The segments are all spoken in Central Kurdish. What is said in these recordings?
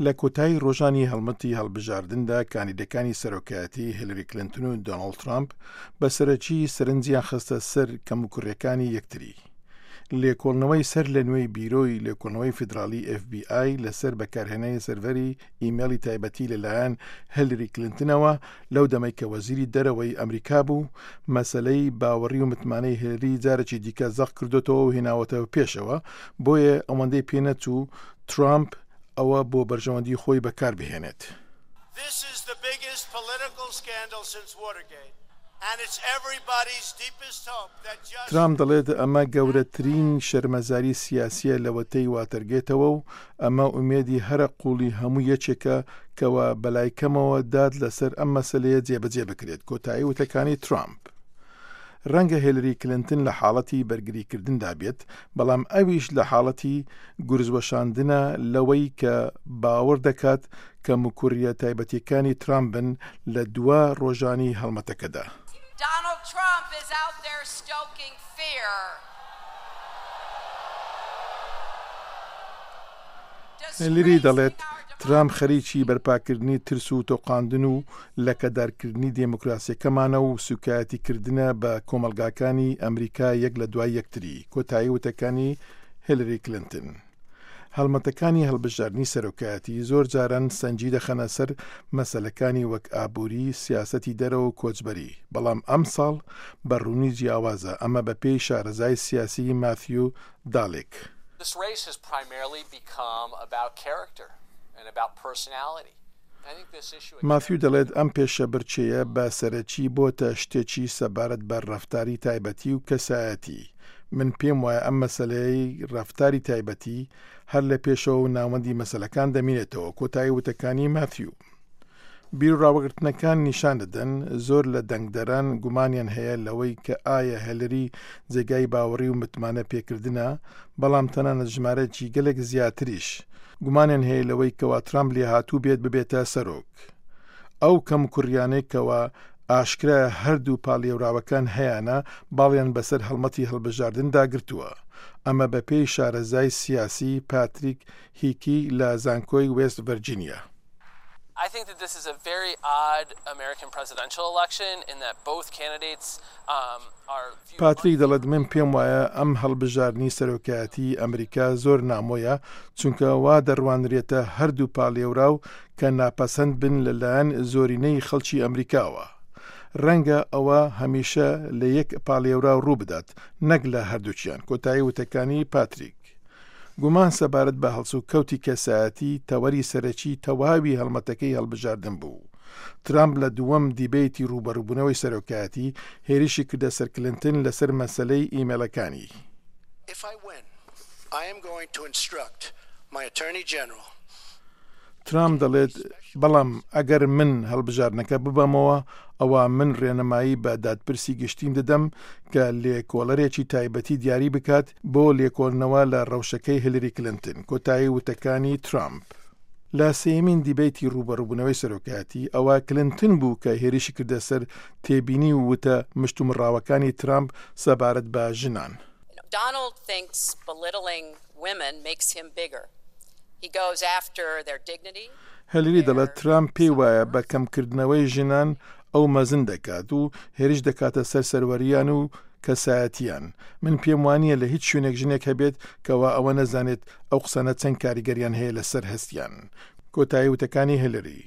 لە کۆتایی ڕۆژانی هەڵمەتی هەڵبژاردندا کاندیدەکانی سەرۆکایەتی هیلری کلنتن و دۆناڵد ترامپ بە سەرەکی سەرنجیان خستە سەر کەموکوڕیەکانی یەکتری. لێکۆڵنەوەی سەر لە نوێی بیرۆی لێکۆڵنەوەی فیدراڵی FBI لەسەر بەکارهێنانی سەرڤەری ئیمێڵی تایبەتی لەلایەن هیلری کلنتنەوە لەو دەمەی کە وەزیری دەرەوەی ئەمریکا بوو، مەسەلەی باوەڕی و متمانەی هیلری جارێکی دیکە زەق کردۆتەوە و هێناوەتەوە پێشەوە، بۆیە ئەوەندەی پێنەچوو ترامپ ئەوە بۆ بەرژەوەندی خۆی بەکار بهێنێت. ترامپ دەڵێت ئەمە گەورەترین شەرمەزاری سیاسییە لەوەتەی واتەرگێتەوە و ئەمە ئومێدی هەرە قووڵی هەموو یەکێکە کەوا بەلای کەمەوە داد لەسەر ئەم مەسەلەیە جێبەجێ بکرێت، کۆتایی وتەکانی ترامپ. ڕەنگە هێلری کلنتن لە حاڵەتی بەرگریکردندا بێت، بەڵام ئەویش لە حاڵەتی گورزوەشاندنە لەوەی کە باوەڕ دەکات کەموکوڕییە تایبەتییەکانی ترامپ بن لە دوا ڕۆژانی هەڵمەتەکەدا. هێلری دەڵێت، ترامپ خەریکی بەرپاکردنی ترس و تۆقاندن و لەکەدارکردنی دێموکراسیەکەمانە و سوکایەتی کردنە بە کۆمەڵگاکانی ئەمریکا یەک لە دوای یەکتری، کۆتایی وتەکانی هێلری کلنتن. هەڵمەتەکانی هەڵبژاردنی سەرۆکایەتی زۆر جاران سەنگی دەخەنە سەر مەسەلەکانی وەک ئابووری، سیاسەتی دەرەوە و کۆچبەری، بەڵام ئەمساڵ بە ڕوونی جیاوازە، ئەمە بەپێی شارەزای سیاسی ماثیو دالیک. This race has primarily become about character and about personality. ماثیو دەڵێت ئەم پێشەبرکێیە بە سەرەکی بۆتە شتێکی سەبارەت بە ڕەفتاری تایبەتی و کەسایەتی. من پێم وایە ئەم مەسەلەیەی ڕەفتاری تایبەتی هەر لە پێشەوە و ناوەندی مەسەلەکان دەمینێتەوە، کۆتایی وتەکانی ماثیو. بیروڕاوەگرتنەکان نیشان دەدەن زۆر لە دەنگدەران گومانیان هەیە لەوەی کە ئایا هێلری جێگای باوەڕی و متمانە پێکردنە، بەڵام تەنانەت ژمارەیەکی گەلێک زیاتریش گومانیان هەیە لەوەی کەوا ترامپ لێهاتوو بێت ببێتە سەرۆک. ئەو کەموکوڕیانەی کەوا ئاشکرایە هەردوو پاڵێوراوەکان هەیانە باڵیان بەسەر هەڵمەتی هەڵبژاردندا گرتووە. ئەمە بەپێی شارەزای سیاسی پاتریک هیکی لە زانکۆی وێست ڤەرجینیا. I think that this is a very odd American presidential election in that both candidates are viewed. پاتریک دەڵێت من پێم وایە ئەم هەڵبژاردنی سەرۆکایەتی ئەمریکا زۆر نامۆیە چونکە وا دەڕوانرێتە هەردوو پاڵێوراو کە ناپەسەند بن لە لایەن زۆرینەی خەڵکی ئەمریکاوە. ڕەنگە ئەوە هەمیشە لە یەک پاڵێوراو ڕووبدات نەک لە هەردووکیان، کۆتایی وتەکانی پاتریک. گومان سەبارەت بە هەڵسوکەوتی کەسایەتی تەوەری سەرەکی تەواوی هەڵمەتەکەی هەڵبژاردن بوو. ترامپ لە دووەم دیبەیتی ڕووبەڕووبوونەوەی سەرۆکایەتی، هێرشی کردە سەر کلنتن لەسەر مەسەلەی ئیمێڵەکانی. ترامپ دەڵێت، بەڵام ئەگەر من هەڵبژاردنەکە ببەمەوە، ئەوا من ڕێنمایی بە دادپرسی گشتیم دەدەم کە لێکۆڵەرێکی تایبەتی دیاری بکات بۆ لێکۆڵنەوە لە ڕەوشەکەی هیلری کلنتن، کۆتایی وتەکانی ترامپ. لە سێیەمین دیبەیتی ڕووبەڕووبوونەوەی سەرۆکایەتی، ئەوە کلنتن بوو کە هێرشی کردە سەر تێبینی و وتە مشتومڕاوەکانی ترامپ سەبارەت بە ژنان. Donald thinks belittling women makes him bigger. He goes after their dignity. هێلری دەڵێت ترامپ پێی وایە بە کەمکردنەوەی ژنان ئەو مەزن دەکات و هێرش دەکاتە سەر سەروەرییان و کەسایەتییان. من پێم وانییە لە هیچ شوێنێک ژنێک هەبێت کەوا ئەوە نەزانێت ئەو قسانە چەند کاریگەریان هەیە لەسەر هەستیان. کۆتایی وتەکانی هێلری.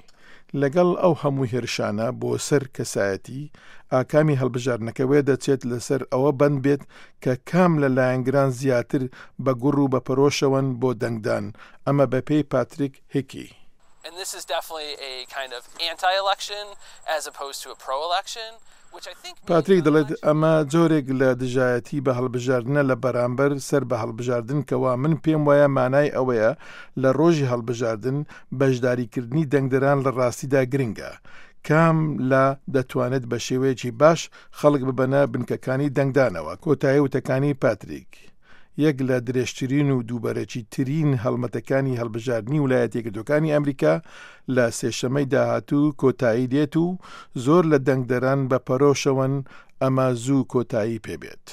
لەگەڵ ئەو هەموو هێرشانە بۆ سەر کەسایەتی، ئاکامی هەڵبژاردنەکە وێدەچێت لەسەر ئەوە بەند بێت کە کام لە لایەنگران زیاتر بە گوڕ و بە پەرۆشەوەن بۆ دەنگدان، ئەمە بەپێی پاتریک هیکی. And this is definitely a kind of anti-election as opposed to a pro-election, which I think means پاتریک دەڵێت ئەمە جۆرێک لە دژایەتی بە هەڵبژاردنە لە بەرامبەر سەر بە هەڵبژاردن کەوا من پێم وایە مانای ئەوەیە لە ڕۆژی هەڵبژاردن بەشداریکردنی دەنگدەران لە ڕاستیدا گرنگە کام لا دەتوانێت بە شێوەیەکی باش خەڵک ببەنە بنکەکانی دەنگدانەوە کۆتایی وتەکانی پاتریک یەک لە درێژترین و دووبەرەکی ترین هەڵمەتەکانی هەڵبژاردنی ولایەتە یەکگرتووەکانی ئەمریکا لە سێشەمەی داهاتوو کۆتایی دێت و زۆر لە دەنگدەران بە پەرۆشەوەن ئەمە زوو کۆتایی پێبێت.